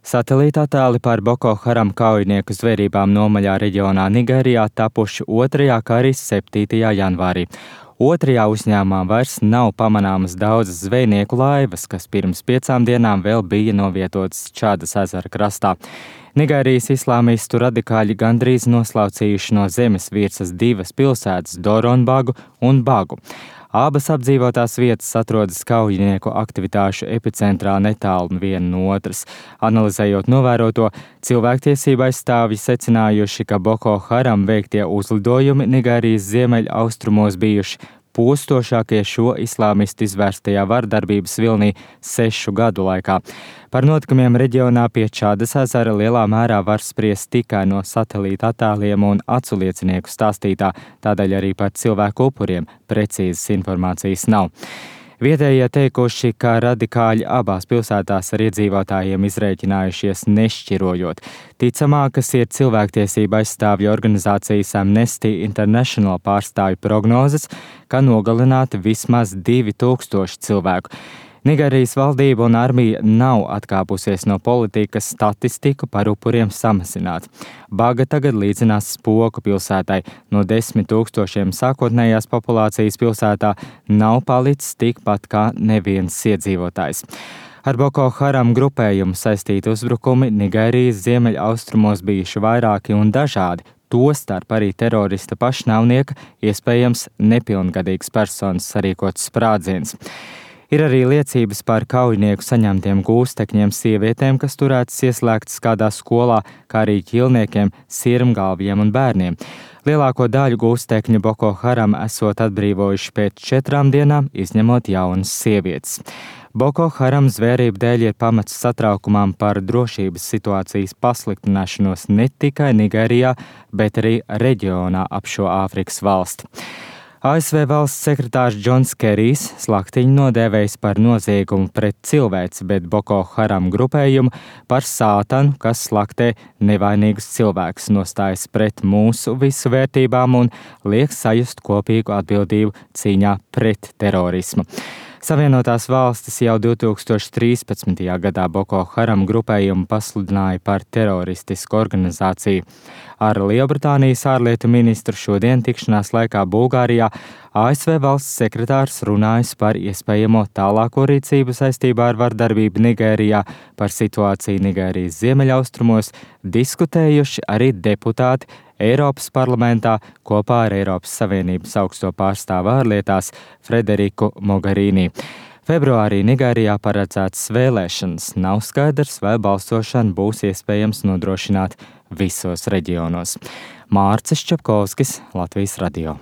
Satelīta attēli par Boko Haram kaujinieku zvērībām Nomaļā reģionā Nigērijā tapuši 2. kā arī 7. janvārī. 2. uzņēmumā vairs nav pamanāmas daudzas zvejnieku laivas, kas pirms 5 dienām vēl bija novietotas Čādas ezera krastā. Nigērijas islāmistu radikāļi gandrīz noslaucījuši no zemes virsmas 2 pilsētas – Doronbagu un Bagu. Abas apdzīvotās vietas atrodas kaujinieku aktivitāšu epicentrā netālu viena no otras. Analizējot novēroto, cilvēktiesību aizstāvji secinājuši, ka Boko Haram veiktie uzlidojumi Nigērijas ziemeļaustrumos bijuši postošākie šo islāmistu izvērstajā vardarbības vilnī 6 gadu laikā. Par notikumiem reģionā pie Čādas ezera lielā mērā var spriest tikai no satelīta attēliem un acu liecinieku stāstītā, tādēļ arī par cilvēku upuriem precīzas informācijas nav. Vietējie teikuši, ka radikāļi abās pilsētās ar iedzīvotājiem izrēķinājušies nešķirojot. Ticamākas ir cilvēktiesība aizstāvju organizācijas Amnesty International pārstāvju prognozes, ka nogalināti vismaz 2000 cilvēku. Nigērijas valdība un armija nav atkāpusies no politikas statistiku par upuriem samazināt. Baga tagad līdzinās Spoku pilsētai. No 10 000 sākotnējās populācijas pilsētā nav palicis tikpat kā neviens iedzīvotājs. Ar Boko Haram grupējumu saistīti uzbrukumi Nigērijas ziemeļaustrumos bijuši vairāki un dažādi. Tostarp arī terorista pašnāvnieka, iespējams nepilngadīgas personas sarīkots sprādziens. Ir arī liecības par kaujinieku saņemtiem gūstekņiem sievietēm, kas turētas ieslēgtas kādā skolā, kā arī ķilniekiem, sirmgalviem un bērniem. Lielāko daļu gūstekņu Boko Haram esot atbrīvojuši pēc 4 dienām, izņemot jaunas sievietes. Boko Haram zvērību dēļ ir pamats satraukumam par drošības situācijas pasliktināšanos ne tikai Nigērijā, bet arī reģionā ap šo Āfrikas valsti. ASV valsts sekretārs Džons Kerijs slaktiņu nodēvējis par noziegumu pret cilvēci, bet Boko Haram grupējumu par sātanu, kas slaktē nevainīgus cilvēkus, nostājas pret mūsu visu vērtībām un liek sajust kopīgu atbildību cīņā pret terorismu. Savienotās valstis jau 2013. gadā Boko Haram grupējumu pasludināja par teroristisku organizāciju. Ar Lielbritānijas ārlietu ministru šodien tikšanās laikā Bulgārijā ASV valsts sekretārs runājis par iespējamo tālāko rīcību saistībā ar vardarbību Nigērijā, par situāciju Nigērijas ziemeļaustrumos, diskutējuši arī deputāti Eiropas parlamentā kopā ar Eiropas Savienības augsto pārstāvu ārlietās Frederiku Mogherini. Februārī Nigērijā paredzētas vēlēšanas. Nav skaidrs, vai balsošana būs iespējams nodrošināt visos reģionos. Mārcis Čapkovskis, Latvijas radio.